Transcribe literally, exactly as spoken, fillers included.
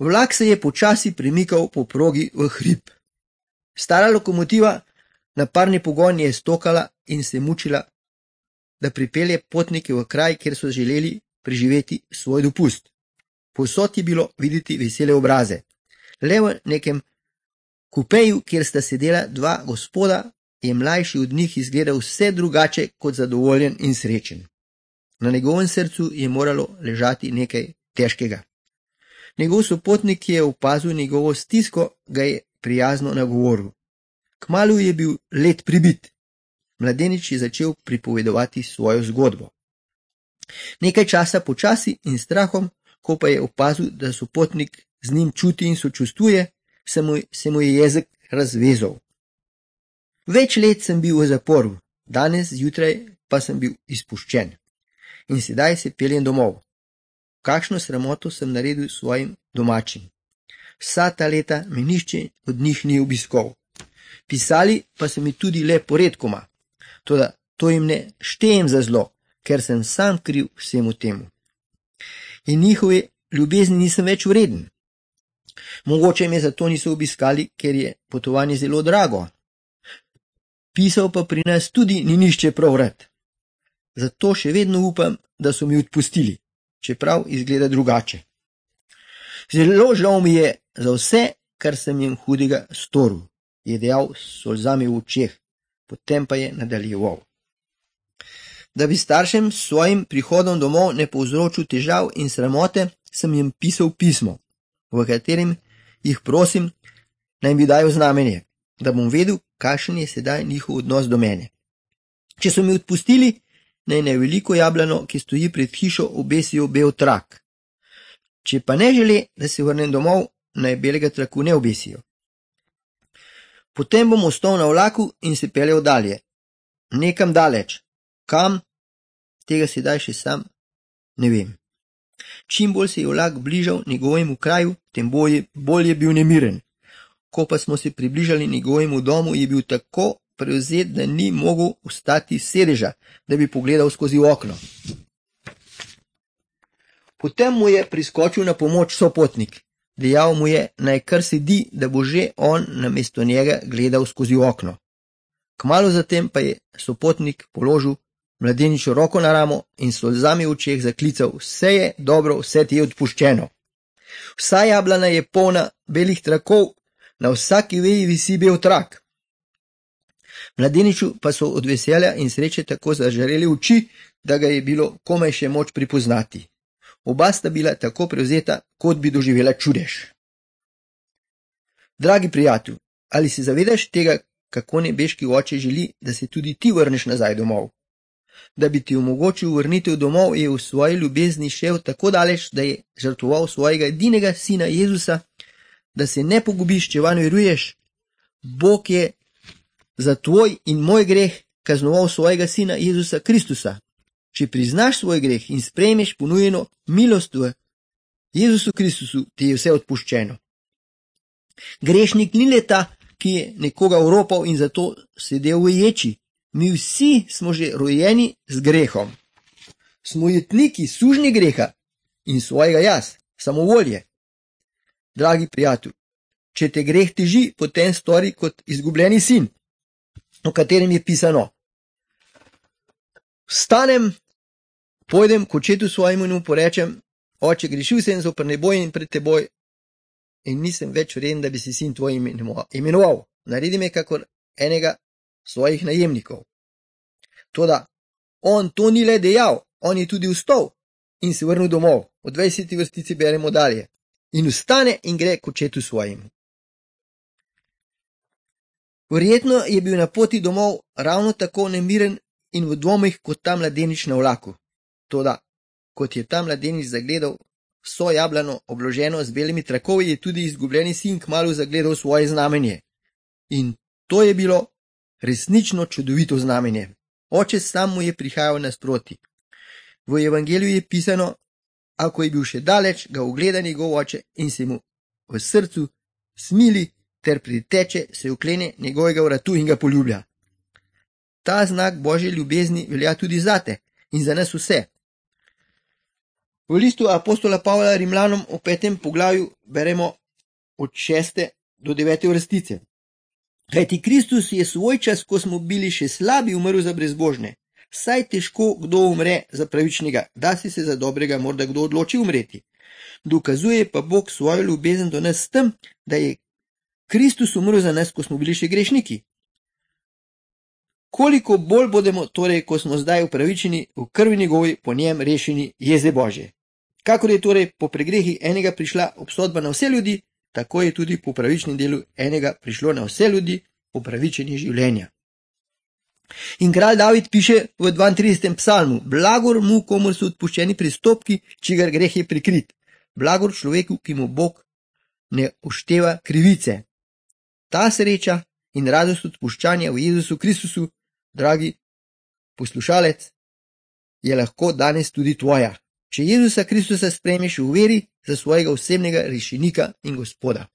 Vlak se je počasi premikal po progi v hrib. Stara lokomotiva na parni pogon je stokala in se mučila, da pripelje potnike v kraj, kjer so želeli preživeti svoj dopust. Povsod je bilo videti vesele obraze. Le v nekem kupeju, kjer sta sedela dva gospoda, je mlajši od njih izgledal vse drugače kot zadovoljen in srečen. Na njegovem srcu je moralo ležati nekaj težkega. Njegov sopotnik, ki je opazil njegovo stisko, ga je prijazno nagovoril. Kmalu je bil led pribit. Mladenič je začel pripovedovati svojo zgodbo. Nekaj časa počasi in strahom, ko pa je opazil, da sopotnik z njim čuti in sočustvuje, se mu, se mu je jezik razvezal. Več let sem bil v zaporu, danes zjutraj pa sem bil izpuščen. In sedaj se peljem domov. Kakšno sramoto sem naredil svojim domačim. Vsa ta leta me nihče od njih ni obiskal. Pisali pa so mi tudi le poredkoma. Toda to jim ne štejem za zlo, ker sem sam kriv vsemu temu. In njihove ljubezni nisem več vreden. Mogoče me zato niso obiskali, ker je potovanje zelo drago. Pisal pa pri nas tudi ni nišče prav rad. Zato še vedno upam, da so mi odpustili, čeprav izgleda drugače. Zelo žal mi je za vse, kar sem jim hudega storil, je dejal s solzami v očeh, potem pa je nadaljeval. Da bi staršem s svojim prihodom domov ne povzročil težav in sramote, sem jim pisal pismo, v katerem jih prosim, naj mi dajo znamenje, da bom vedel, kakšen je sedaj njihov odnos do mene. Če so mi odpustili, naj na veliko jablano, ki stoji pred hišo, obesijo bel trak. Če pa ne želi, da se vrnem domov, naj belega traku ne obesijo. Potem bom ostal na vlaku in se peljal dalje. Nekam daleč. Kam? Tega sedaj še sam ne vem. Čim bolj se je vlak bližal njegovemu kraju, tem bolj, bolj je bil nemiren. Ko pa smo se približali njegovemu domu, je bil tako prevzet, da ni mogel vstati s sedeža, da bi pogledal skozi okno. Potem mu je priskočil na pomoč sopotnik. Dejal mu je, naj kar sedi, da bo že on namesto njega gledal skozi okno. Kmalu zatem pa je sopotnik položil mladeniču roko na ramo in s solzami v očeh zaklical: vse je dobro, vse ti je odpuščeno. Vsa jablana je polna belih trakov, na vsaki veji visi bel trak. Mladeniču pa so od veselja in sreče tako zažareli oči, da ga je bilo komaj še moč pripoznati. Oba sta bila tako prevzeta, kot bi doživela čudež. Dragi prijatelj, ali se zavedaš tega, kako nebeški oče želi, da se tudi ti vrneš nazaj domov? Da bi ti omogočil vrnitev domov, je v svoji ljubezni šel tako daleč, da je žrtvoval svojega edinega sina Jezusa, da se ne pogubiš, če vanj veruješ. Bog je za tvoj in moj greh kaznoval svojega sina Jezusa Kristusa. Če priznaš svoj greh in sprejmeš ponujeno milost v Jezusu Kristusu, ti je vse odpuščeno. Grešnik ni le ta, ki je nekoga oropal in zato sedel v ječi. Mi vsi smo že rojeni z grehom. Smo jetniki sužnji greha in svojega jaz, samovolje. Dragi prijatelj, če te greh teži, potem stori kot izgubljeni sin, o katerem je pisano: vstanem, pojdem k očetu svojemu in mu porečem: oče, grešil sem zoper nebo in pred teboj in nisem več vreden, da bi si sin tvoj imenoval. Naredi me kakor enega svojih najemnikov. Toda on to ni le dejal, on je tudi vstal in se vrnil domov. V dvajseti vrstici beremo dalje: in vstane in gre k očetu svojemu. Verjetno je bil na poti domov ravno tako nemiren in v dvomih kot ta mladenič na vlaku. Toda, kot je ta mladenič zagledal vso jablano obloženo z belimi trakovi, je tudi izgubljeni sin kmalu zagledal svoje znamenje. In to je bilo resnično čudovito znamenje. Oče sam mu je prihajal nasproti. V evangeliju je pisano: ako je bil še daleč, ga ugleda njegov oče in se mu v srcu smili ter priteče, se uklene njegovega vratu in ga poljublja. Ta znak Božje ljubezni velja tudi zate in za nas vse. V listu apostola Pavla Rimljanom v petem poglavju beremo od šeste do devete vrstice. Kajti Kristus je svoj čas, ko smo bili še slabi, umrl za brezbožne. Saj težko kdo umre za pravičnega, da si se za dobrega morda kdo odloči umreti. Dokazuje pa Bog svojo ljubezen do nas s tem, da je Kristus umrl za nas, ko smo bili še grešniki. Koliko bolj bodemo torej, ko smo zdaj upravičeni v krvi njegovi, po njem rešeni jeze Božje. Kakor je torej po pregrehi enega prišla obsodba na vse ljudi, tako je tudi po pravičnem delu enega prišlo na vse ljudi upravičenje življenja. In kralj David piše v dvaintridesetem psalmu: blagor mu, komur so odpuščeni prestopki, čigar greh je prikrit. Blagor človeku, ki mu Bog ne ušteva krivice. Ta sreča in radost odpuščanja v Jezusu Kristusu, dragi poslušalec, je lahko danes tudi tvoja, če Jezusa Kristusa sprejmeš v veri za svojega osebnega rešenika in Gospoda.